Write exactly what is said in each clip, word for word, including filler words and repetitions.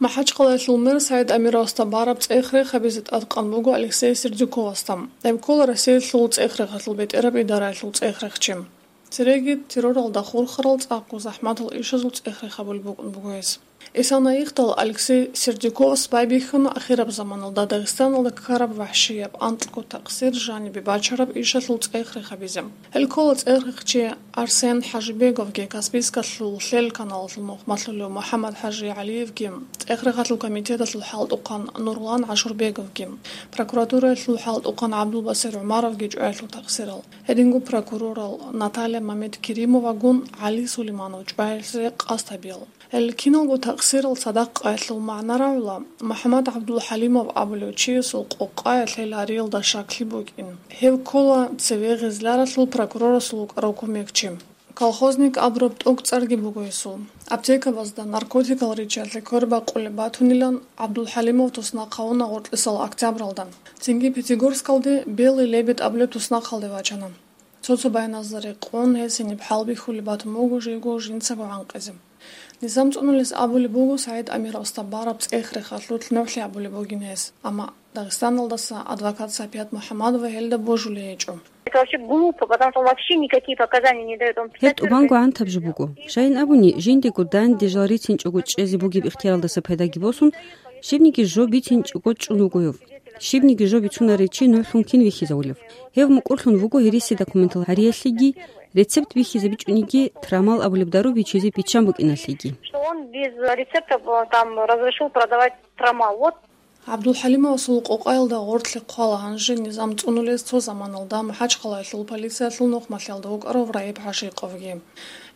МахӀачхъалаялъул мэр СагӀид Амировасда бараб цӀех-рех гьабизе тӀадкъан буго Алексей Сердюковасда. Гьев ккола Россиялъул цӀех-рехалъул бетӀераб идараялъул цӀех-рехчи. Цереги терроралда хурхарал цӀакъго захӀматал ишазул цӀех-рех гьабулеб букӀун буго гьес. Исана ихдал Алексей Сердюковас байбихьана ахираб заманалда Дагъистаналда ккараб вахӀшияб, анкьго такъсир жанибе бачараб ишалъул цӀех-рех гьабизе. Гьел ккола цӀех-рехчи Арсен ХӀажибеговги, Каспийскалъул лъел каналалъул нухмалъулев МухӀаммад ХӀажи ГӀалиевги, цӀех-рехалъул комитеталъул хӀалтӀухъан Нурлан ГӀашурбеговги, прокуратураялъул хӀалтӀухъан ГӀабдулбасир ГӀумаровги чӀваялъул такъсирал. Гьединго прокурорал Наталья Мамедкеримовагун ГӀали Сулейманов чӀваялъе къасд гьабиял. Гьел киналго такъсирал цадахъ къоялъул магӀна рагӀула, МухӀаммад ГӀабдулхӀалимов абулев чиясул къокъаялъ гьел гьариялда щаклъи букӀин. Гьев ккола цеве Гъизляралъул прокурорасул вукӀарав кумекчи. Колхозник абураб тӀокӀцӀарги буго гьесул. Аптекабазда наркотикал риччалъе квербакъулеб батунилан ГӀабдулхӀалимов туснахъ гьавуна гъоркьисал октябралда. Цинги Пятигорскалде Белый лебедь абулеб туснахъалде вачана. Цо-цо баяназда рекъон, гьес гьениб хӀалбихьулеб батун буго живго жинцаго гӀанкъизе. Низам цӀунулес абулеб буго СагӀид Амировасда бараб цӀех-рехалъулъ нугӀлъи гьабулеб бугин гьес, амма Дагъистаналдаса адвокат Сапият МухӀаммадова гьелда божулей гьечӀо. Это вообще глупо, потому что он вообще никакие показания не дает. Он Гьеб тӀубанго гӀантаб жо буго. Щайин абуни, жиндего данде жал рицинчӀого чӀезе бугеб ихтияралдаса пайдаги босун, щибниги жо бицинчӀого чӀун вуго гьев. Щибниги жо бицунарев чи нугӀлъун кин вихьизавулев? Гьев мукӀурлъун вуго гьереси документал гьариялъеги, рецепт бихьизабичӀониги, трамал абулеб дару бичизе биччан букӀиналъеги. Что он без рецепта, э, там, разрешил продавать трамал. Вот. ГӀабдулхӀалимовасул къокъаялда гъорлъе хъвала гьанже низам цӀунулез цо заманалда МахӀачхъалаялъул полициялъул нухмалъиялда вукӀарав Раиб ГӀашикъовги.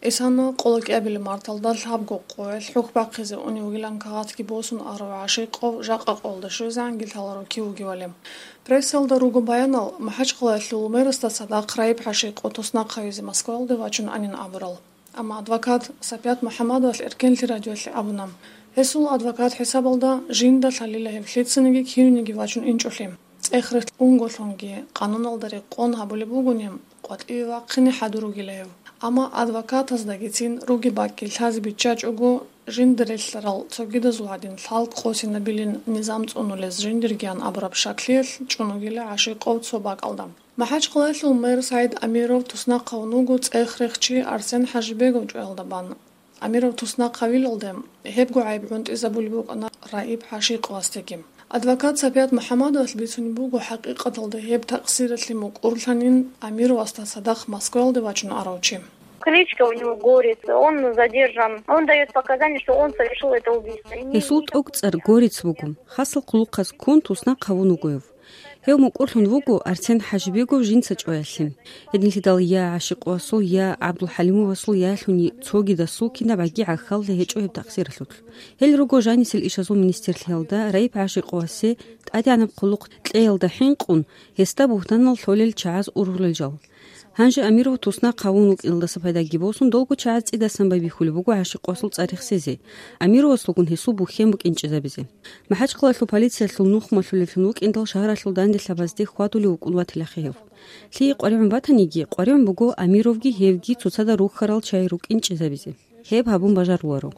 Исана къоло кӀиабилеб марталда лъабго къоялъ хӀухь бахъизе унев вугилан кагъатги босун арав ГӀашикъов жакъа къоялда щвезегӀанги лъаларо кив вугевали. Прессалда руго баянал, МахӀачхъалаялъул мэрасда цадахъ Раиб ГӀашикъов туснахъ гьавизе Москвалде вачун анин абурал. Амма адвокат Сапият МухӀаммадовалъ Эркенлъи радиоялъе абуна, гьесул адвокат хӀисабалда жинда лъалила гьев лъицаниги кинавниги вачун инчӀолъи. ЦӀех-рех унголъунги къануналда рекъон гьабулеб бугони, къватӀиве вахъине хӀадур ругила гьев. Амма адвокатаздагицин руги бакӀги лъазе биччачӀого, жинда релълъарал цогидазул гӀадин лъалкӀ къосинабилин низам цӀунулез жиндиргиян абураб щаклъиялъ чӀун вугила ГӀашикъов цо бакӀалда. МахӀачхъалаялъул мэр СагӀид Амиров туснахъ гьавун вуго цӀех-рехчи Арсен ХӀажибегов чӀваялда бан. Амиров туснахъ гьавилалде, гьебго гӀайиб гӀунтӀизабулеб букӀана Раиб ГӀашикъовасдеги. Адвокат Сапият МухӀаммадовалъ бицунеб буго хӀакъикъаталда гьеб такъсиралъе мукӀурлъанин Амировасда цадахъ Москвалде вачун арав чи. Кличка у него Горец, он задержан. Он даёт показания, что он совершил это убийство. Гьесул тӀокӀцӀар Горец буго. Хасал хъулухъаз ккун туснахъ гьавун вуго гьев. Гьев мукӀурлъун вуго Арсен ХӀажибегов жинца чӀваялъе. Гьединлъидал я ГӀашикъовасул, я ГӀабдулхӀалимовасул, ялъуни цогидасул кинабгӀаги гӀахьаллъи гьечӀо гьеб такъсиралъулъ. Гьел руго жанисел ишазул министрлъиялда Раиб ГӀашикъовасе тӀадегӀанаб хъулухъ кьеялда хӀинкъун, гьесда бугьтанал лъолел чагӀаз ургъулел жал. Гьанже Амиров туснахъ гьавун вукӀиналдаса пайдаги босун, долго чагӀаз цӀидасан байбихьулеб буго ГӀашикъовасул цӀар рехсезе, Амировасулгун гьесул бухьен букӀинчӀезабизе. МахӀачхъалаялъул полициялъул нухмалъулевлъун вукӀиндал шагьаралъул данделъабазде хьвадулев вукӀун ватилахъе гьев. Лъие къваригӀун батаниги, къваригӀун буго Амировги гьевги цоцазда рухьарал чагӀи рукӀинчӀезабизе. Гьеб гьабун бажаруларо.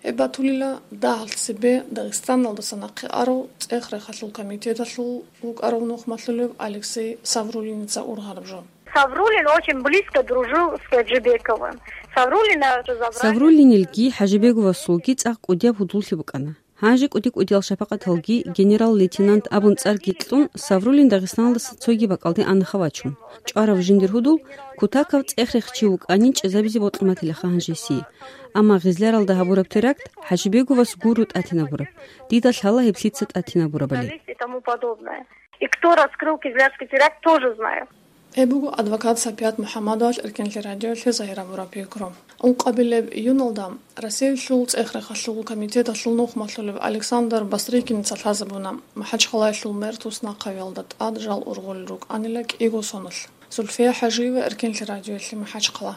Гьеб батулила дагьалъ цебе Дагъистаналдаса нахъе арав цӀех-рехалъул комитеталъул вукӀарав нухмалъулев Алексей Саврулиница ургъараб жо. Саврулин очень близко дружил с Хаджибековым. Саврулина же забрали. Саврулинилги ХӀажибеговасулги цӀакъ кӀудияб гьудуллъи букӀана. Гьанже кӀуди-кӀудиял шапакъаталги генерал-лейтенант абун цӀарги кьун, Саврулин Дагъистаналдаса цоги бакӀалде анаха вачун. ЧӀварав жиндир гьудул, кутакав цӀех-рехчи вукӀанин чӀезабизе бокьун батилаха гьанжеси. Амма Гъизляралда гьабураб теракт ХӀажибеговас гуро тӀатинабураб. Дида лъала гьеб лъица тӀатинабурабали. И тому подобное. И кто раскрыл Кизлярский теракт, тоже знаю. Гьеб буго адвокат Сапият МухӀаммадовалъ Эркенлъи радиоялъе загьир гьабураб пикру. Ункъабилеб июналда Россиялъул цӀех-рехалъул комитеталъул нухмалъулев Александр Бастрыкиница лъазабуна, МахӀачхъалаялъул мэр туснахъ гьавиялда тӀад жал ургъулел рукӀанила кӀиго соналъ. Зульфия ХӀажиева, Эркенлъи радиоялъе, МахӀачхъала.